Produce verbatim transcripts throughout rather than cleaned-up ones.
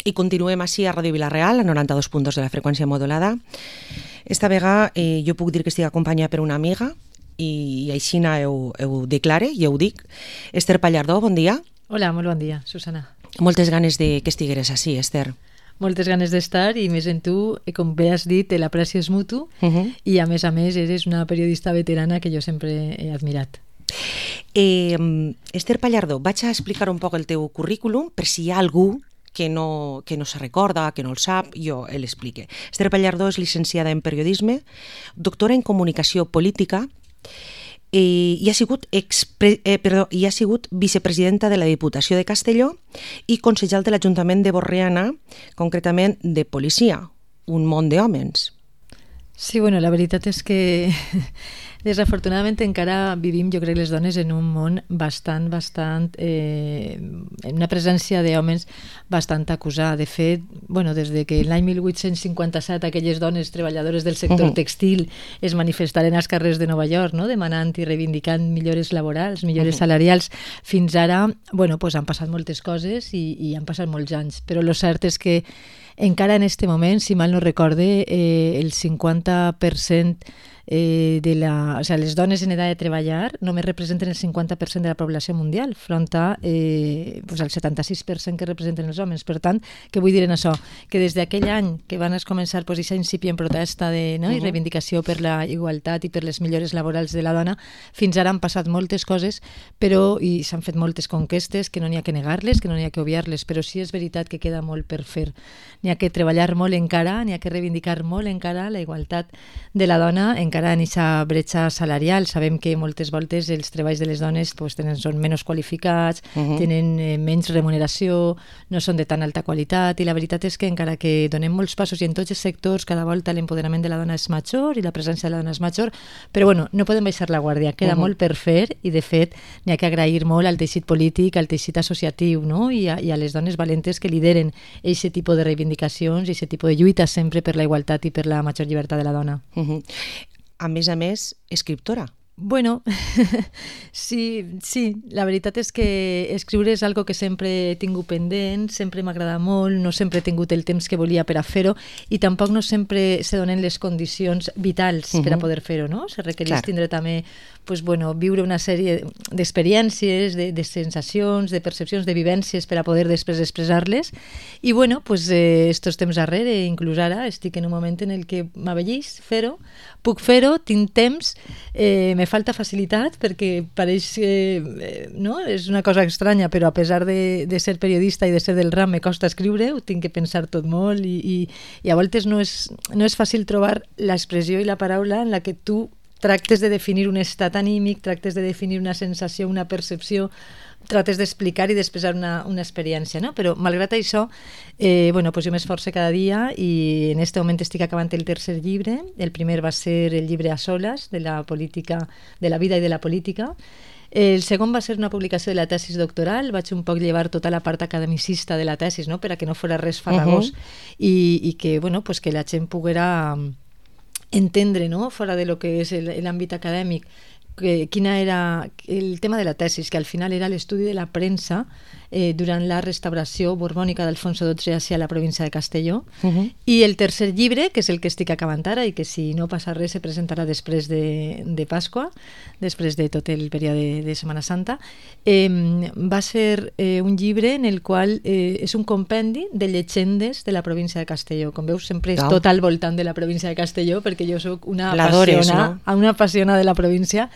I continuem així a Ràdio Vila-real, a noranta-dos punt dos de la freqüència modulada. Esta vegada eh, jo puc dir que estic acompanyada per una amiga i, i així ho, ho declare i ho dic. Esther Pallardó, bon dia. Hola, molt bon dia, Susana. Moltes ganes de que estigueres així, Esther. Moltes ganes d'estar i més en tu, com bé has dit, l'aprecio és mutu uh -huh. i a més a més eres una periodista veterana que jo sempre he admirat. Eh, Esther Pallardó, vaig a explicar un poc el teu currículum per si hi ha algú que no, que no se recorda, que no el sap, jo l'explique. Esther Pallardó és llicenciada en periodisme, doctora en comunicació política eh, i, ha sigut expre, eh, perdó, i ha sigut vicepresidenta de la Diputació de Castelló i consellal de l'Ajuntament de Borriana, concretament de policia, un món d'hòmens. Sí, bueno, la veritat és que desafortunadament encara vivim, jo crec, les dones en un món bastant, bastant, eh, en una presència d'homes bastant acusada. De fet, bueno, des de que l'any mil vuit-cents cinquanta-set aquelles dones treballadores del sector uh-huh. textil es manifestaren als carrers de Nova York, no?, demanant i reivindicant millores laborals, millores uh-huh. salarials, fins ara, bueno, pues han passat moltes coses i, i han passat molts anys, però el cert és que encara en este moment, si mal no recorde, eh, el cinquanta per cent eh, de la... O sea, les dones en edat de treballar només representen el cinquanta per cent de la població mundial, front a eh, pues el setanta-sis per cent que representen els homes. Per tant, què vull dir en això? Que des d'aquell any que van començar pues, aquesta incipient protesta de, no? uh-huh. i reivindicació per la igualtat i per les millores laborals de la dona, fins ara han passat moltes coses, però i s'han fet moltes conquestes que no n'hi ha que negar-les, que no n'hi ha que obviar-les, però sí és veritat que queda molt per fer. N'hi ha que treballar molt encara, n'hi ha que reivindicar molt encara la igualtat de la dona, encara en aquesta bretxa salarial. Sabem que moltes voltes els treballs de les dones pues, tenen, són menys qualificats, uh-huh. tenen eh, menys remuneració, no són de tan alta qualitat, i la veritat és que encara que donem molts passos i en tots els sectors cada volta l'empoderament de la dona és major i la presència de la dona és major, però bueno, no podem baixar la guàrdia, queda uh-huh. molt per fer i de fet n'hi ha que agrair molt al teixit polític, al teixit associatiu, no? I, a, i a les dones valentes que lideren aquest tipus de reivindicacions i aquest tipus de lluita sempre per la igualtat i per la major llibertat de la dona. Uh-huh. A més a més, escriptora. Bueno, sí, sí, la veritat és que escriure és algo que sempre he tingut pendent, sempre m'agrada molt, no sempre he tingut el temps que volia per a fer-ho i tampoc no sempre se donen les condicions vitals uh-huh. per a poder fer-ho, no? Se requereix tindre també, pues, bueno, viure una sèrie d'experiències, de, de sensacions, de percepcions, de vivències per a poder després expressar-les i bueno, pues, eh, estos temps darrere, inclús ara, estic en un moment en el que m'avellís fer-ho, puc fer-ho, tinc temps, eh, me falta facilitat perquè pareix que eh, no? És una cosa estranya, però a pesar de, de ser periodista i de ser del ram me costa escriure, ho tinc que pensar tot molt i, i, i a voltes no és, no és fàcil trobar l'expressió i la paraula en la que tu tractes de definir un estat anímic, tractes de definir una sensació, una percepció, trates d'explicar i d'expressar una, una experiència, no? Però malgrat això, eh, bueno, pues jo m'esforço cada dia i en este moment estic acabant el tercer llibre. El primer va ser el llibre A soles, de la política, de la vida i de la política. El segon va ser una publicació de la tesis doctoral, vaig un poc llevar tota la part academicista de la tesis, no? Per a que no fos res farragós uh-huh. i, i que, bueno, pues que la gent poguera entendre, no? Fora de lo que és l'àmbit acadèmic, que, quina era el tema de la tesis, que al final era l'estudi de la premsa eh, durant la restauració borbònica d'Alfonso dotze hacia la província de Castelló. Uh-huh. I el tercer llibre, que és el que estic acabant ara i que si no passa res se presentarà després de, de Pasqua, després de tot el període de, de Setmana Santa, eh, va ser eh, un llibre en el qual eh, és un compendi de llegendes de la província de Castelló. Com veus, sempre és tot al voltant de la província de Castelló, perquè jo sóc una apassionada, no? una apassionada de la província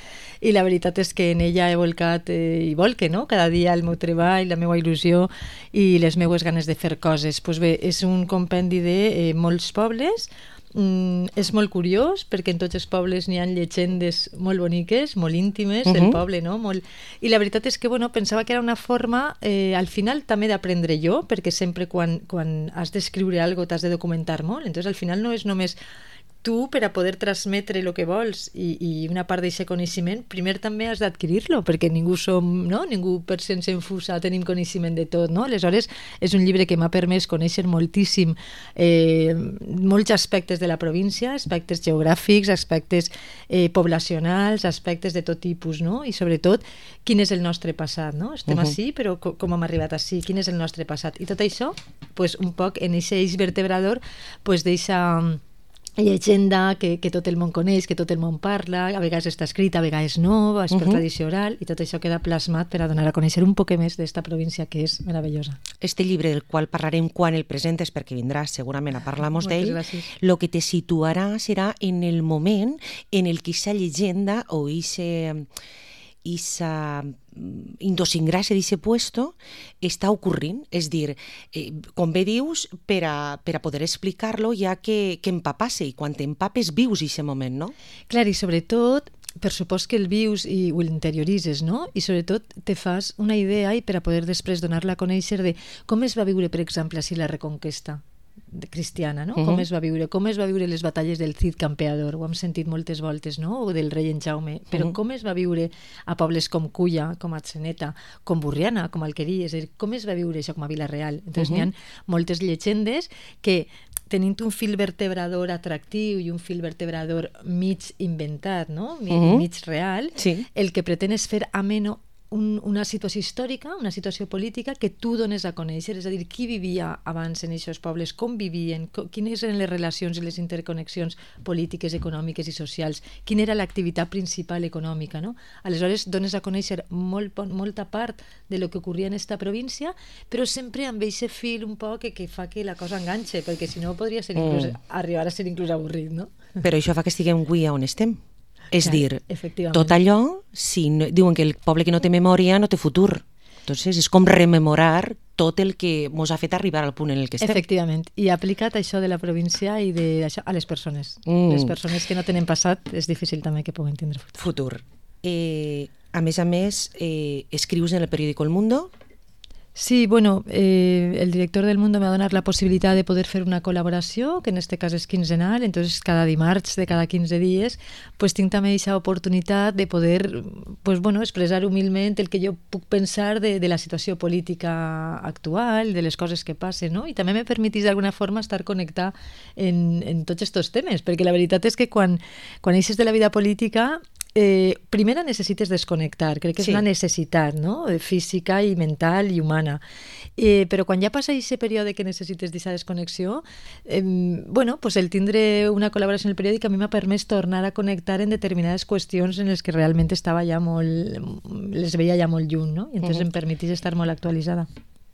i la veritat és que en ella he volcat eh, i volque, no? Cada dia el meu treball, la meva il·lusió i les meues ganes de fer coses. Pues bé, és un compendi de eh, molts pobles. Mm, és molt curiós perquè en tots els pobles n'hi ha llegendes molt boniques, molt íntimes uh-huh. del poble, no? Molt... I la veritat és que bueno, pensava que era una forma eh, al final també d'aprendre jo, perquè sempre quan, quan has d'escriure alguna cosa t'has de documentar molt, entonces al final no és només tu, per a poder transmetre el que vols i, i una part d'aquest coneixement, primer també has d'adquirir-lo, perquè ningú som, no? Ningú per sense infusa tenim coneixement de tot, no? Aleshores, és un llibre que m'ha permès conèixer moltíssim eh, molts aspectes de la província, aspectes geogràfics, aspectes eh, poblacionals, aspectes de tot tipus, no? I sobretot, quin és el nostre passat, no? Estem uh-huh. ací, però com, com hem arribat ací? Quin és el nostre passat? I tot això, pues, un poc en aquest eix vertebrador, pues, deixa llegenda que, que tot el món coneix, que tot el món parla, a vegades està escrita, a vegades no, és per uh-huh. tradició oral, i tot això queda plasmat per a donar a conèixer un poc més d'esta província que és meravellosa. Este llibre del qual parlarem quan el presentes, perquè vindràs segurament a parlar-nos d'ell, lo que te situarà serà en el moment en el que aquesta llegenda o ese... esa idiosincràsia d'aquest puesto està ocorrint, és dir, eh, com bé dius, per a, per a poder explicar-lo ja que, que empapase, i quan t'empapes vius aquest moment, no? Clar, i sobretot, per supost que el vius i ho interioritzes, no? I sobretot te fas una idea i per a poder després donar-la a conèixer de com es va viure, per exemple, així la Reconquesta cristiana, no? Uh-huh. Com es va viure, com es va viure les batalles del Cid Campeador, ho hem sentit moltes voltes, no? O del rei en Jaume, però uh-huh. com es va viure a pobles com Culla, com Atzeneta, com Burriana, com Alquería, és a dir, com es va viure això com a Vila-real? Entonces uh-huh. n'hi ha moltes llegendes que tenint un fil vertebrador atractiu i un fil vertebrador mig inventat, no? Mig, uh-huh. mig real, sí. El que pretén és fer ameno Un, una situació històrica, una situació política que tu dones a conèixer, és a dir, qui vivia abans en aquests pobles, com vivien, co, quines eren les relacions i les interconnexions polítiques, econòmiques i socials, quina era l'activitat principal econòmica, no? Aleshores, dones a conèixer molt, molta part de lo que ocorria en esta província, però sempre amb aquest fil un poc que, que fa que la cosa enganxe, perquè si no podria ser inclús, mm. arribar a ser inclús avorrit, no? Però això fa que estiguem avui on estem. És clar, dir, tot allò, si no, diuen que el poble que no té memòria no té futur. Entonces, és com rememorar tot el que ens ha fet arribar al punt en el que estem. Efectivament, i aplicat això de la província i de, això, a les persones. Mm. Les persones que no tenen passat és difícil també que puguen tindre futur. Futur. Eh, a més a més, eh, escrius en el periòdico El Mundo. Sí, bueno, eh, el director del Mundo me ha donat la possibilitat de poder fer una col·laboració, que en este cas és quinzenal, entonces cada dimarts de cada quinze dies, pues tinc també aquesta oportunitat de poder, pues bueno, expressar humilment el que jo puc pensar de, de la situació política actual, de les coses que passen, no? I també me permetís d'alguna forma estar connectat en, en tots aquests temes, perquè la veritat és que quan, quan eixes de la vida política, Eh, primera necessites desconnectar, crec que és sí. una necessitat, no? Física i mental i humana, eh, però quan ja passa aquest període que necessites d'aquesta desconnexió, eh, bueno, pues el tindre una col·laboració en el periòdic a mi m'ha permès tornar a connectar en determinades qüestions en les que realment estava ja molt, les veia ja molt lluny, no? I entonces uh-huh. em permetís estar molt actualitzada.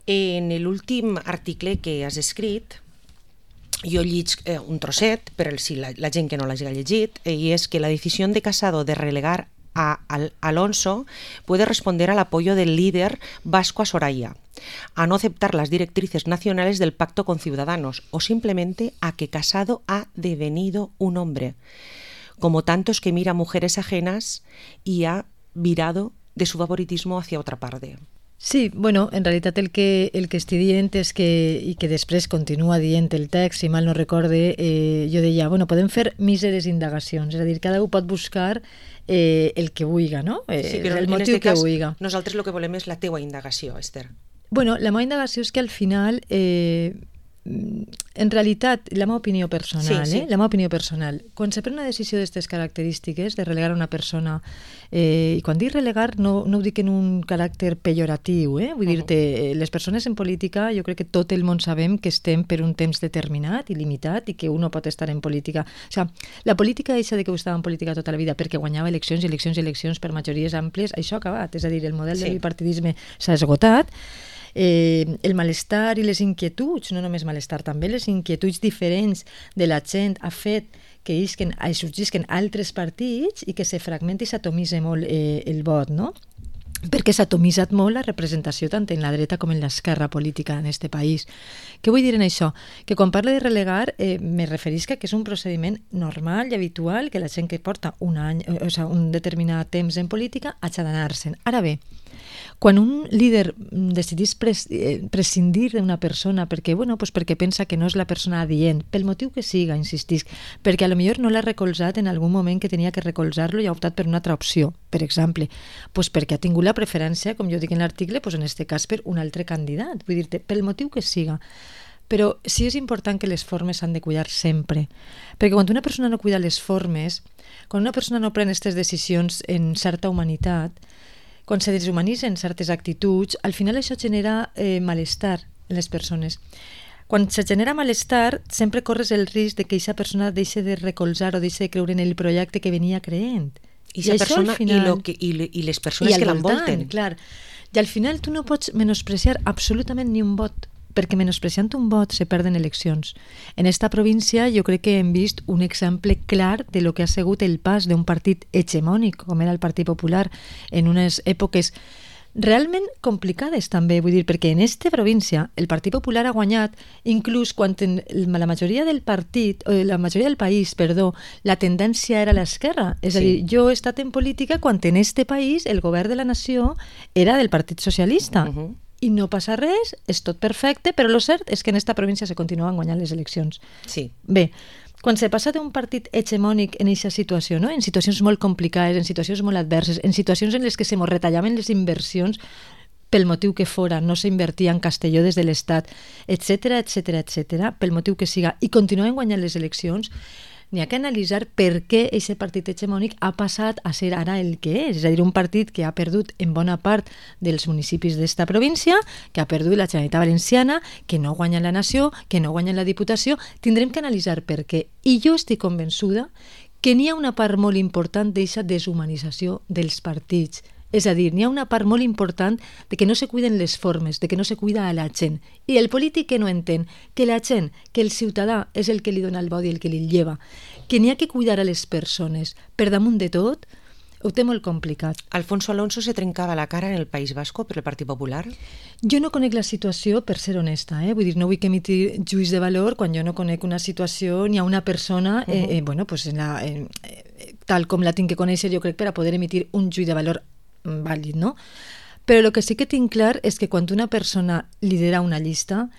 En l'últim article que has escrit, jo lliig eh, un trosset, per si la, la gent que no l'hagi llegit, eh, y es que la decisión de Casado de relegar a Al Alonso puede responder al apoyo del líder vasco a Soraya, a no aceptar las directrices nacionales del pacto con Ciudadanos o simplemente a que Casado ha devenido un hombre, como tantos que mira mujeres ajenas y ha virado de su favoritismo hacia otra parte. Sí, bueno, en realitat el que, el que estic dient és que, i que després continua dient el text, si mal no recorde, eh, jo deia, bueno, podem fer míseres indagacions, és a dir, cada un pot buscar eh, el que vulga, no? Eh, sí, però el motiu que vulga. Nosaltres el que volem és la teua indagació, Esther. Bueno, la meva indagació és que al final... Eh, en realitat, la meva opinió personal, sí, sí. Eh? la meva opinió personal, quan se pren una decisió d'aquestes característiques, de relegar una persona, eh, i quan dic relegar no, no ho dic en un caràcter pejoratiu, eh? vull uh-huh. dir-te, les persones en política, jo crec que tot el món sabem que estem per un temps determinat i limitat i que un no pot estar en política. O sigui, la política deixa de que ho estava en política tota la vida perquè guanyava eleccions i eleccions i eleccions per majories àmplies, això ha acabat, és a dir, el model sí. del bipartidisme s'ha esgotat. Eh, el malestar i les inquietuds, no només malestar, també les inquietuds diferents de la gent ha fet que isquen, sorgisquen altres partits i que se fragmenti i s'atomitza molt eh, el vot, no? Perquè s'ha atomitzat molt la representació tant en la dreta com en l'esquerra política en aquest país. Què vull dir en això? Que quan parlo de relegar eh, me referisc que és un procediment normal i habitual que la gent que porta un any, o sigui, un determinat temps en política haig d'anar-se'n. Ara bé, Quan un líder decidís pres, eh, prescindir d'una persona perquè, bueno, pues perquè pensa que no és la persona adient, pel motiu que siga, insistisc, perquè a lo millor no l'ha recolzat en algun moment que tenia que recolzar-lo i ha optat per una altra opció, per exemple, pues perquè ha tingut la preferència, com jo dic en l'article, pues en este cas per un altre candidat, vull dir-te, pel motiu que siga. Però sí és important que les formes s'han de cuidar sempre, perquè quan una persona no cuida les formes, quan una persona no pren aquestes decisions en certa humanitat, quan se deshumanitzen certes actituds, al final això genera eh, malestar en les persones. Quan se genera malestar, sempre corres el risc de que aquesta persona deixi de recolzar o deixi de creure en el projecte que venia creent. I, I, persona, final, i, lo que, i, i les persones i que l'envolten. Clar. I al final tu no pots menospreciar absolutament ni un vot, perquè menospreciant un vot se perden eleccions. En esta província jo crec que hem vist un exemple clar de lo que ha sigut el pas d'un partit hegemònic, com era el Partit Popular, en unes èpoques realment complicades també, vull dir, perquè en esta província el Partit Popular ha guanyat inclús quan en la majoria del partit, o la majoria del país, perdó, la tendència era a l'esquerra. És sí. a dir, jo he estat en política quan en este país el govern de la nació era del Partit Socialista. Uh-huh. I no passa res, és tot perfecte, però el cert és que en esta província se continuen guanyant les eleccions. Sí. Bé, quan se passa d'un partit hegemònic en aquesta situació, no? En situacions molt complicades, en situacions molt adverses, en situacions en les que se mos retallaven les inversions pel motiu que fora, no s'invertia en Castelló des de l'Estat, etcètera, etcètera, etcètera, pel motiu que siga, i continuen guanyant les eleccions, n'hi ha que analitzar per què aquest partit hegemònic ha passat a ser ara el que és, és a dir, un partit que ha perdut en bona part dels municipis d'esta província, que ha perdut la Generalitat Valenciana, que no guanya la nació, que no guanya la Diputació. Tindrem que analitzar per què. I jo estic convençuda que n'hi ha una part molt important d'aquesta deshumanització dels partits. És a dir, n'hi ha una part molt important de que no se cuiden les formes, de que no se cuida a la gent. I el polític que no entén que la gent, que el ciutadà és el que li dona el vot i el que li lleva, que n'hi ha que cuidar a les persones per damunt de tot, ho té molt complicat. Alfonso Alonso se trencava la cara en el País Vasco per el Partit Popular? Jo no conec la situació, per ser honesta, eh? Vull dir, no vull que emitir juís de valor quan jo no conec una situació ni a una persona, uh-huh. eh, eh, bueno, pues en la, eh, tal com la tinc que conèixer, jo crec, per a poder emitir un juís de valor vàlid, no? Però el que sí que tinc clar és que quan una persona lidera una llista,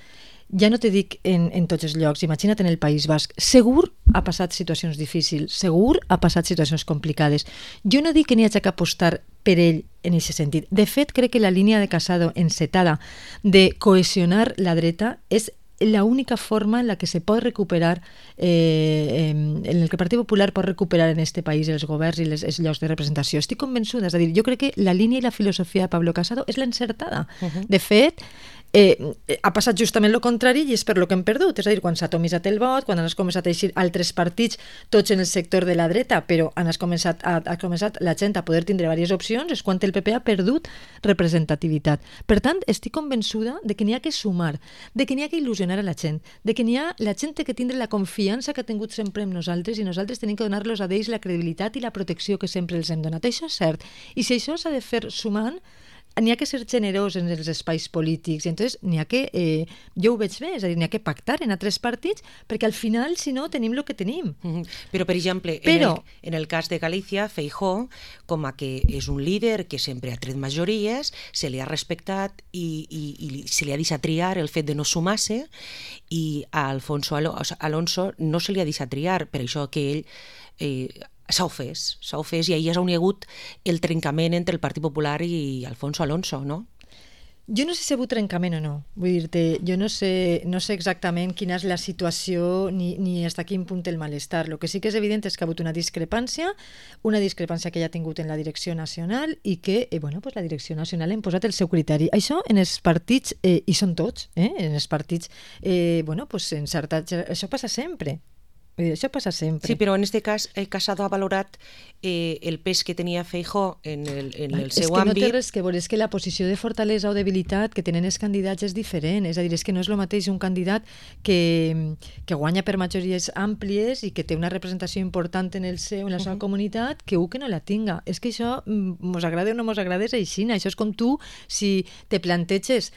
ja no te dic en, en tots els llocs, imagina't en el País Basc, segur ha passat situacions difícils, segur ha passat situacions complicades. Jo no dic que n'hi hagi que apostar per ell en aquest sentit. De fet, crec que la línia de Casado encetada de cohesionar la dreta és la única forma en la que se pot recuperar, eh, en el que el Partit Popular pot recuperar en este país els governs i les, els llocs de representació. Estic convençuda, és a dir, jo crec que la línia i la filosofia de Pablo Casado és l'encertada. Uh-huh. De fet, eh, ha passat justament el contrari i és per lo que hem perdut. És a dir, quan s'ha atomitzat el vot, quan han començat a eixir altres partits, tots en el sector de la dreta, però han començat, a, ha començat la gent a poder tindre diverses opcions, és quan el P P ha perdut representativitat. Per tant, estic convençuda de que n'hi ha que sumar, de que n'hi ha que il·lusionar a la gent, de que n'hi ha la gent que tindre la confiança que ha tingut sempre en nosaltres i nosaltres tenim que donar-los a ells la credibilitat i la protecció que sempre els hem donat. Això és cert. I si això s'ha de fer sumant, n'hi ha que ser generós en els espais polítics i entonces n'hi ha que, eh, jo ho veig bé, és a dir, n'hi ha que pactar en altres partits perquè al final, si no, tenim el que tenim. Mm-hmm. Però, per exemple, Però, en, el, en el cas de Galícia, Feijóo, com a que és un líder que sempre ha tret majories, se li ha respectat i, i, i se li ha deixat triar el fet de no sumar-se i a Alfonso Alonso no se li ha deixat triar, per això que ell eh, s'ha ofès, s'ha ofès i ahir és on hi ha hagut el trencament entre el Partit Popular i Alfonso Alonso, no? Jo no sé si hi ha hagut trencament o no. Vull dir-te, jo no sé, no sé exactament quina és la situació ni, ni fins a quin punt el malestar. El que sí que és evident és que ha hagut una discrepància, una discrepància que ja ha tingut en la direcció nacional i que, eh, bueno, pues la direcció nacional ha imposat el seu criteri. Això en els partits, eh, i són tots, eh, en els partits, eh, bueno, pues en certa, això passa sempre. Això passa sempre. Sí, però en aquest cas eh, Casado ha valorat eh, el pes que tenia Feijóo en el, en el seu àmbit. És que no té res que veure, és que la posició de fortalesa o debilitat que tenen els candidats és diferent, és a dir, és que no és el mateix un candidat que, que guanya per majories àmplies i que té una representació important en, el seu, en la seva uh-huh. comunitat que un que no la tinga. És que això, mos agrada o no mos agrada, és així. Això és com tu, si te planteges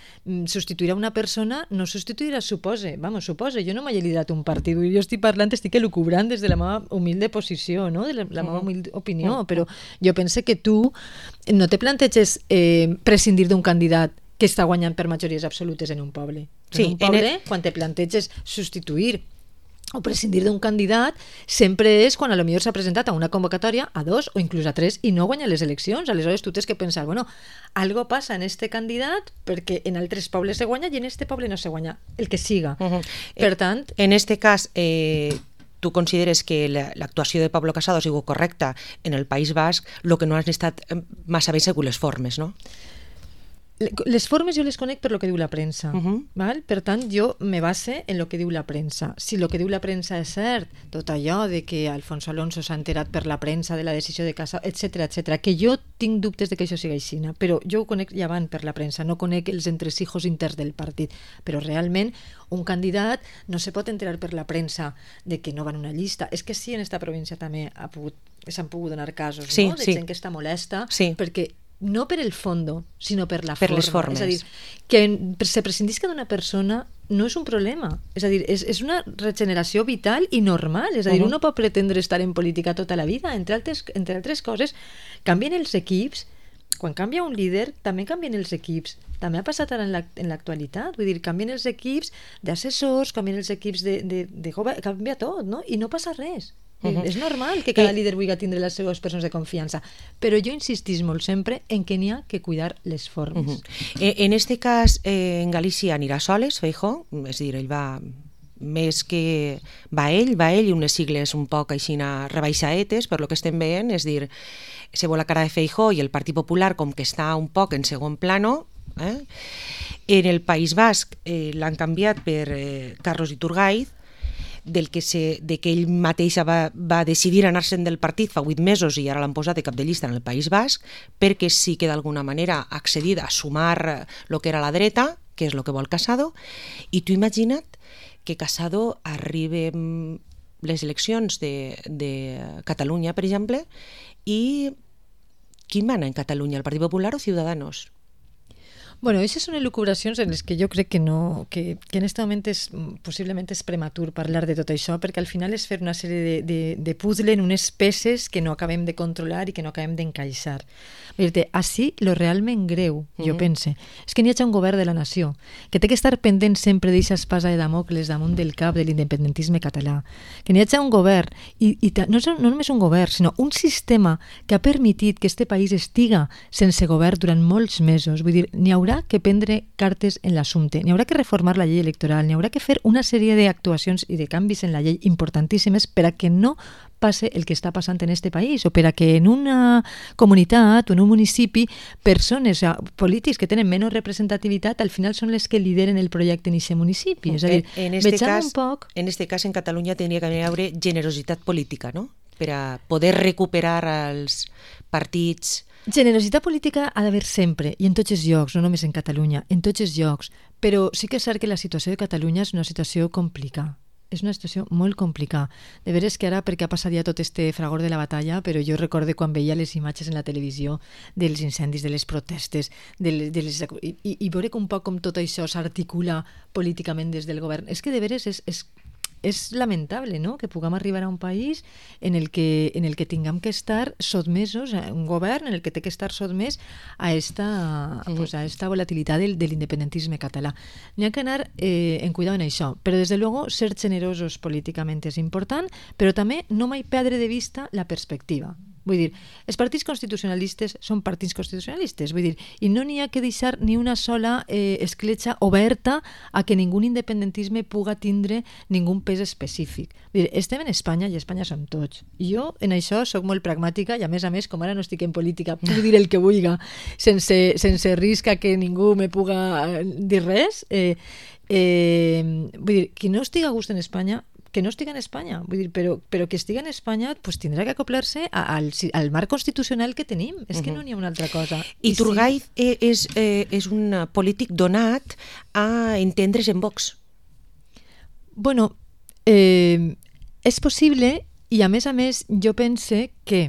substituir a una persona, no substituiràs, supose. Vamos, supose. Jo no m'he liderat un partit, jo estic parlant, estic estic elucubrant des de la meva humilde posició, no? de la, la meva humilde opinió, però jo pense que tu no te planteges eh, prescindir d'un candidat que està guanyant per majories absolutes en un poble. Sí, en un poble, en el... quan te planteges substituir o prescindir d'un candidat, sempre és quan a lo millor s'ha presentat a una convocatòria, a dos o inclús a tres, i no guanya les eleccions. Aleshores tu tens que pensar, bueno, algo passa en este candidat perquè en altres pobles se guanya i en este poble no se guanya, el que siga. Uh -huh. Per tant... En este cas, eh, tu consideres que l'actuació de Pablo Casado ha sigut correcta en el País Basc, el que no han estat massa bé segur les formes, no? Les formes jo les conec per lo que diu la premsa. Uh -huh. Val? Per tant, jo me base en lo que diu la premsa. Si lo que diu la premsa és cert, tot allò de que Alfonso Alonso s'ha enterat per la premsa de la decisió de Casado, etcètera, etcètera, que jo tinc dubtes de que això sigui així, però jo ho conec ja van per la premsa, no conec els entresijos interns del partit, però realment un candidat no se pot enterar per la premsa de que no va en una llista. És que sí, en esta província també ha pogut, s'han pogut donar casos, sí, no? de sí. gent que està molesta, sí. perquè no per el fondo, sinó per la per forma. Les formes. És a dir, que se prescindisca d'una persona no és un problema. És a dir, és, és una regeneració vital i normal. És a dir, uh -huh. uno pot pretendre estar en política tota la vida. Entre altres, entre altres coses, canvien els equips. Quan canvia un líder, també canvien els equips. També ha passat ara en l'actualitat. Vull dir, canvien els equips d'assessors, canvien els equips de, de, de govern, canvia tot, no? I no passa res. Uh-huh. És normal que cada eh, líder vulgui tindre les seves persones de confiança, però jo insistís molt sempre en que n'hi ha que cuidar les formes. Uh-huh. eh, en este cas, eh, en Galícia anirà soles, Feijóo, és a dir, ell va més que va ell, va ell i unes sigles un poc així rebaixaetes, per lo que estem veient, és a dir, se vol la cara de Feijóo i el Partit Popular com que està un poc en segon plano. Eh? En el País Basc eh, l'han canviat per eh, Carlos Iturgaiz, del que, se, de que ell mateix va, va decidir anar-se'n del partit fa vuit mesos i ara l'han posat de cap de llista en el País Basc perquè sí que d'alguna manera ha accedit a sumar el que era la dreta, que és el que vol Casado, i tu imagina't que Casado arribi a les eleccions de, de Catalunya, per exemple, i qui mana en Catalunya, el Partit Popular o Ciudadanos? Bueno, aquestes són elucubracions en les que jo crec que no, que, que en aquest moment és, possiblement és prematur parlar de tot això, perquè al final és fer una sèrie de, de, de puzzle en unes peces que no acabem de controlar i que no acabem d'encaixar. Dir-te, així, lo realment greu, jo mm-hmm. pense, és que n'hi ha un govern de la nació, que té que estar pendent sempre d'eixa espasa de Damocles damunt del cap de l'independentisme català, que n'hi ha un govern, i, i no, és, no només un govern, sinó un sistema que ha permitit que este país estiga sense govern durant molts mesos. Vull dir, n'hi haurà que prendre cartes en l'assumpte, n'hi haurà que reformar la llei electoral, n'hi haurà que fer una sèrie d'actuacions i de canvis en la llei importantíssimes per a que no passe el que està passant en este país, o per a que en una comunitat o en un municipi persones, o sigui, polítics que tenen menys representativitat al final són les que lideren el projecte en aquest municipi. És a dir, en este cas, un poc... En este cas, en Catalunya tindria que haver generositat política, no? Per a poder recuperar els partits... Generositat política ha d'haver sempre, i en tots els llocs, no només en Catalunya, en tots els llocs, però sí que és cert que la situació de Catalunya és una situació complicada. És una situació molt complicada. De veres que ara, perquè ha passat ja tot este fragor de la batalla, però jo recordo quan veia les imatges en la televisió dels incendis, de les protestes, de les, de les, i, i, i veure un poc com tot això s'articula políticament des del govern. És que de veres és... és és lamentable, no?, que puguem arribar a un país en el que, en el que tinguem que estar sotmesos, a un govern en el que té que estar sotmès a esta, mm. pues a esta volatilitat del, de l'independentisme català. N'hi ha que anar eh, en cuidado en això, però des de luego ser generosos políticament és important, però també no mai perdre de vista la perspectiva. Vull dir, els partits constitucionalistes són partits constitucionalistes, vull dir, i no n'hi ha que deixar ni una sola eh, escletxa oberta a que ningú independentisme puga tindre ningú pes específic. Vull dir, estem en Espanya i Espanya som tots. I jo en això sóc molt pragmàtica i a més a més, com ara no estic en política, puc dir el que vulgui sense, sense risc a que ningú me puga dir res. Eh, eh, vull dir, qui no estigui a gust en Espanya que no estigui en Espanya, vull dir, però, però que estigui en Espanya pues, tindrà que acoplar-se al, al marc constitucional que tenim. És que uh-huh. no n'hi ha una altra cosa. I, I Iturgaiz sí. és, eh, és un polític donat a entendre's en Vox. Bueno, eh, és possible i a més a més jo pense que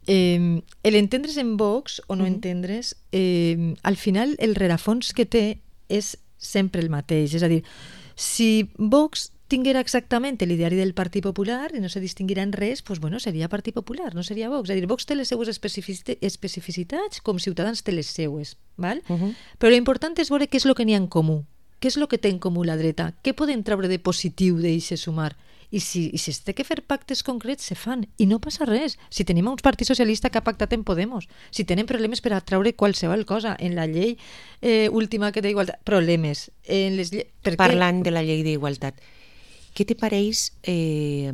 eh, l'entendre's en Vox o no uh-huh. entendre's, eh, al final el rerefons que té és sempre el mateix. És a dir, si Vox tinguera exactament l'ideari del Partit Popular i no se distinguirà en res, doncs, bueno, seria Partit Popular, no seria Vox. És a dir, Vox té les seues especificitats com Ciutadans té les seues, val? Uh -huh. Però l'important és veure què és el que n'hi ha en comú, què és el que té en comú la dreta, què podem treure de positiu d'eixe sumar. I si, i si es té que fer pactes concrets, se fan. I no passa res. Si tenim un partit socialista que ha pactat en Podemos, si tenen problemes per a treure qualsevol cosa, en la llei eh, última que té igualtat, problemes. En les lle... Parlant de la llei d'igualtat, què te pareix eh,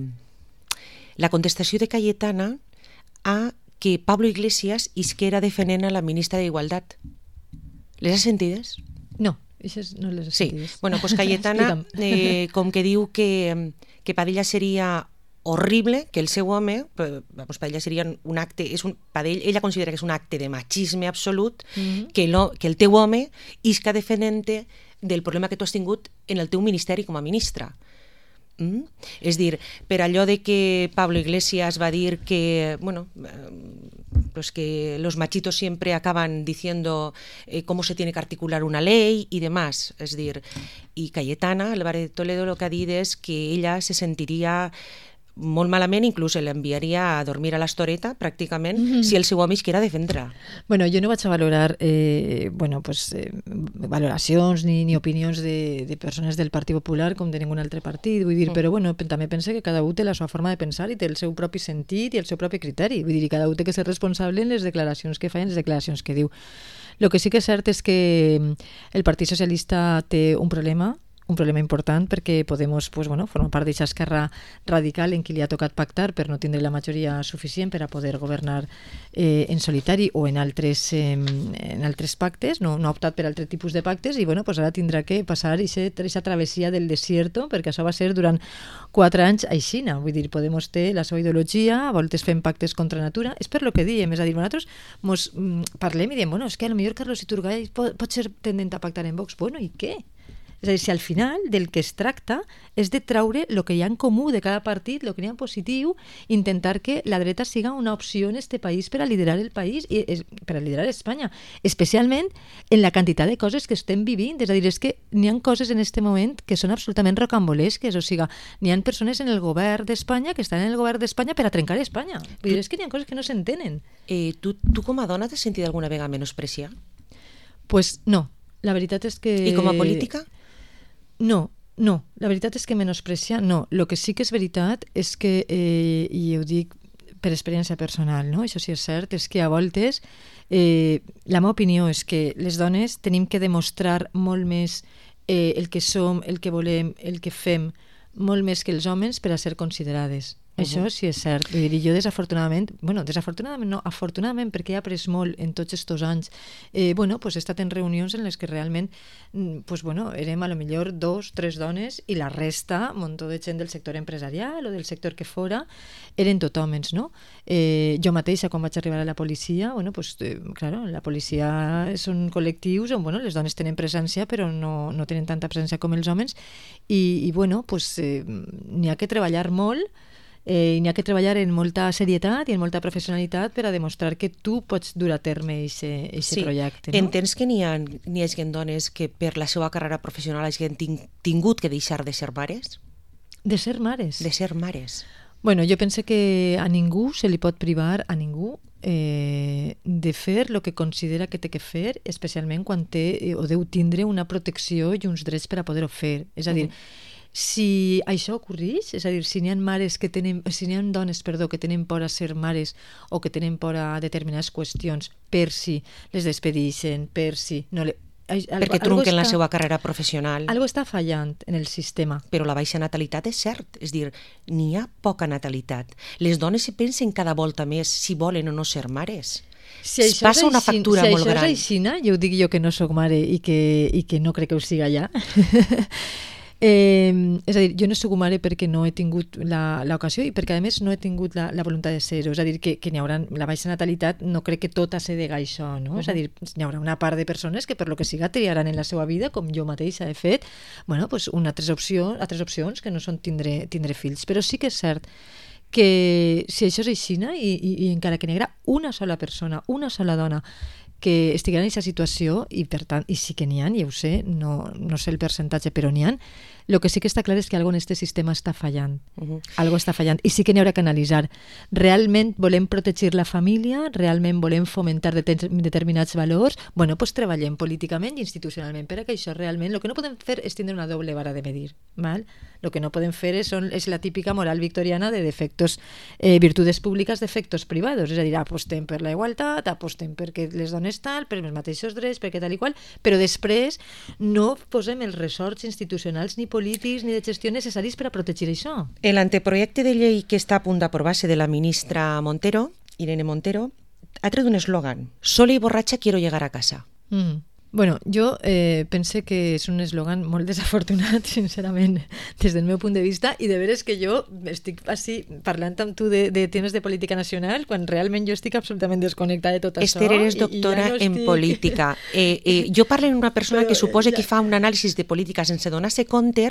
la contestació de Cayetana a que Pablo Iglesias isquera defenent a la ministra d'Igualtat? Les has sentides? No, aquestes no les has sentides. Sí, bueno, pues Cayetana eh, com que diu que, que Padilla seria horrible, que el seu home, pues Padilla seria un acte, és un, Padilla, ella considera que és un acte de machisme absolut, mm-hmm. que, lo, que el teu home isca defenent-te del problema que tu has tingut en el teu ministeri com a ministra. Mm? És dir, per allò de que Pablo Iglesias va dir que, bueno, pues que los machitos siempre acaban diciendo eh, cómo se tiene que articular una ley y demás. És dir, i Cayetana Álvarez de Toledo lo que ha dit és que ella se sentiria molt malament, inclús l'enviaria a dormir a l'estoreta, pràcticament, mm-hmm. si el seu home isquera defendrà. Bueno, jo no vaig a valorar eh, bueno, pues, eh, valoracions ni, ni opinions de, de persones del Partit Popular com de ningun altre partit, vull dir, mm. però bueno, també pense que cada un té la seva forma de pensar i té el seu propi sentit i el seu propi criteri, vull dir, i cada un té que ser responsable en les declaracions que fa i en les declaracions que diu. Lo que sí que és cert és que el Partit Socialista té un problema, un problema important perquè Podemos pues, bueno, forma part d'aquesta esquerra radical en qui li ha tocat pactar per no tindre la majoria suficient per a poder governar eh, en solitari o en altres, eh, en altres pactes, no, no ha optat per altres tipus de pactes i bueno, pues ara tindrà que passar aquesta travessia del desierto perquè això va ser durant quatre anys a Xina, vull dir, Podemos té la seva ideologia, a voltes fem pactes contra natura, és per lo que diem, és a dir, nosaltres mos mm, parlem i diem, bueno, és que potser Carlos Iturgaiz pot, pot ser tendent a pactar en Vox, bueno, i què? És a dir, si al final del que es tracta és de traure el que hi ha en comú de cada partit, el que hi ha en positiu, intentar que la dreta siga una opció en este país per a liderar el país i per a liderar Espanya, especialment en la quantitat de coses que estem vivint. És a dir, és que n'hi ha coses en este moment que són absolutament rocambolesques, o sigui, n'hi ha persones en el govern d'Espanya que estan en el govern d'Espanya per a trencar Espanya. Vull dir, és que n'hi ha coses que no s'entenen. Eh, tu, tu com a dona t'has sentit alguna vegada menospreciada? Pues no, la veritat és que... I com a política? No, no, la veritat és que menosprecia, no. El que sí que és veritat és que, eh, i ho dic per experiència personal, no? Això sí és cert, és que a voltes eh, la meva opinió és que les dones tenim que demostrar molt més eh, el que som, el que volem, el que fem, molt més que els homes per a ser considerades. Uh-huh. Això sí és cert. Vull dir, jo desafortunadament, bueno, desafortunadament no, afortunadament perquè he après molt en tots estos anys, eh, bueno, pues he estat en reunions en les que realment, pues bueno, érem a lo millor dos, tres dones i la resta, un muntó de gent del sector empresarial o del sector que fora, eren tot homes, no? Eh, jo mateixa, quan vaig arribar a la policia, bueno, pues, eh, claro, la policia són col·lectius on, bueno, les dones tenen presència però no, no tenen tanta presència com els homes i, i bueno, pues eh, n'hi ha que treballar molt. Eh, i n'hi ha que treballar en molta serietat i en molta professionalitat per a demostrar que tu pots dur a terme aquest sí. projecte. No? Entens que n'hi ha, n'hi ha gent dones que per la seva carrera professional hagin tingut que deixar de ser mares? De ser mares? De ser mares. Bueno, jo penso que a ningú se li pot privar, a ningú, eh, de fer el que considera que té que fer, especialment quan té o deu tindre una protecció i uns drets per a poder-ho fer. És a dir, uh-huh. si això ocorreix, és a dir, si n'hi ha mares que tenen, si n'hi ha dones, perdó, que tenen por a ser mares o que tenen por a determinades qüestions per si les despedixen, per si no le... Algo, perquè trunquen la seva carrera professional. Algo està fallant en el sistema. Però la baixa natalitat és cert, és dir, n'hi ha poca natalitat. Les dones se pensen cada volta més si volen o no ser mares. Si es passa una factura si molt gran. Si això és aixina, jo ho dic jo que no sóc mare i que, i que no crec que ho siga ja. Eh, és a dir, jo no soc mare perquè no he tingut l'ocasió i perquè a més no he tingut la, la voluntat de ser-ho, és a dir, que, que n'hi haurà la baixa natalitat, no crec que tot se dega això, no? Uh-huh. És a dir, n'hi haurà una part de persones que per lo que siga triaran en la seva vida, com jo mateixa he fet, bueno, pues una altres opcions, altres opcions que no són tindre, tindre fills, però sí que és cert que si això és aixina i, i, i encara que n'hi haurà una sola persona, una sola dona que estiguera en aquesta situació i per tant, i sí que n'hi ha, ja ho sé, no, no sé el percentatge, però n'hi ha, El que sí que està clar és que algo en este sistema està fallant. Uh-huh. Algo està fallant. I sí que n'hi haurà que analitzar. Realment volem protegir la família? Realment volem fomentar det- determinats valors? Bueno, doncs treballem políticament i institucionalment per a que això realment... El que no podem fer és tindre una doble vara de medir. Val? El que no podem fer és, són, és la típica moral victoriana de defectos, eh, virtudes públiques d'efectos privados. És a dir, apostem per la igualtat, apostem perquè les dones tal, per els mateixos drets, perquè tal i qual, però després no posem els ressorts institucionals ni polítics ni de gestió necessaris per a protegir això. El anteprojecte de llei que està a punt d'aprovar-se de la ministra Montero, Irene Montero, ha tret un eslògan: sola i borratxa quiero llegar a casa. Mm. Bueno, jo eh, pense que és un eslògan molt desafortunat, sincerament, des del meu punt de vista, i de veres que jo estic així parlant amb tu de, de temes de política nacional quan realment jo estic absolutament desconnectada de tot Esther, això. eres doctora i, i ja no en estic... política. Eh, eh, jo parlo amb una persona Però, que suposa ja... que fa un anàlisi de política sense donar-se compte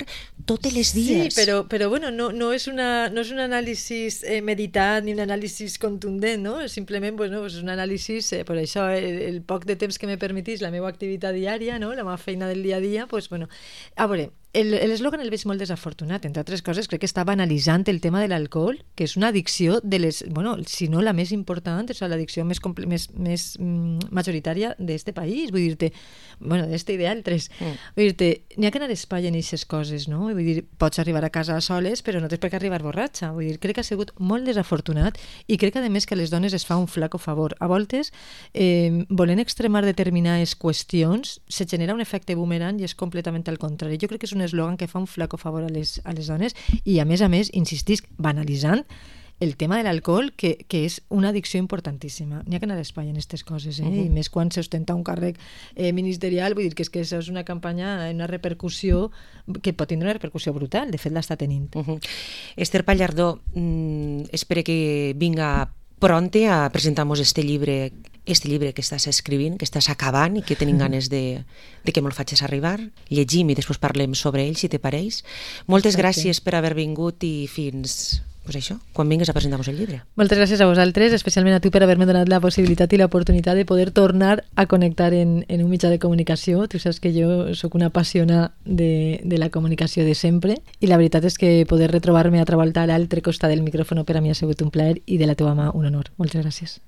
totes les dies. Sí, però, però bueno, no, no, és una, no és un anàlisi eh, meditat ni un anàlisi contundent, no? Simplement bueno, és un anàlisi, eh, per això el, el poc de temps que me permetís la meva activitat diària, no? La meva feina del dia a dia, pues, bueno. A veure, l'eslògan el, el veig molt desafortunat, entre altres coses crec que està banalitzant el tema de l'alcohol, que és una addicció de les, bueno, si no la més important, és l'addicció més, més, més mm, majoritària d'este país, vull dir-te, bueno, d'este i d'altres. Mm. Vull dir-te, n'hi ha que anar d'espai en aquestes coses, no? Vull dir, pots arribar a casa soles, però no tens per què arribar borratxa. Vull dir, crec que ha sigut molt desafortunat i crec que, a més, que a les dones es fa un flaco favor. A voltes, eh, volent extremar determinades qüestions, se genera un efecte boomerang i és completament al contrari. Jo crec que és un eslògan que fa un flaco favor a les, a les dones i, a més a més, insistisc, banalitzant el tema de l'alcohol, que, que és una addicció importantíssima. N'hi ha que anar d'espai en aquestes coses, eh? Uh-huh. I més quan s'ostenta un càrrec eh, ministerial, vull dir que és que això és una campanya, una repercussió que pot tindre una repercussió brutal, de fet l'està tenint. Uh-huh. Esther Pallardó, mm, espero que vinga pronte a presentar-nos este llibre este llibre que estàs escrivint, que estàs acabant i que tenim ganes de, de que me'l facis arribar. Llegim i després parlem sobre ell, si te pareix. Moltes Exacte. Gràcies per haver vingut i fins, pues això, quan vingues a presentar-nos el llibre. Moltes gràcies a vosaltres, especialment a tu per haver-me donat la possibilitat i l'oportunitat de poder tornar a connectar en, en un mitjà de comunicació. Tu saps que jo sóc una apassionada de, de la comunicació de sempre i la veritat és que poder retrobar-me a treballar a l'altre costat del micròfon per a mi ha sigut un plaer i de la teva mà un honor. Moltes gràcies.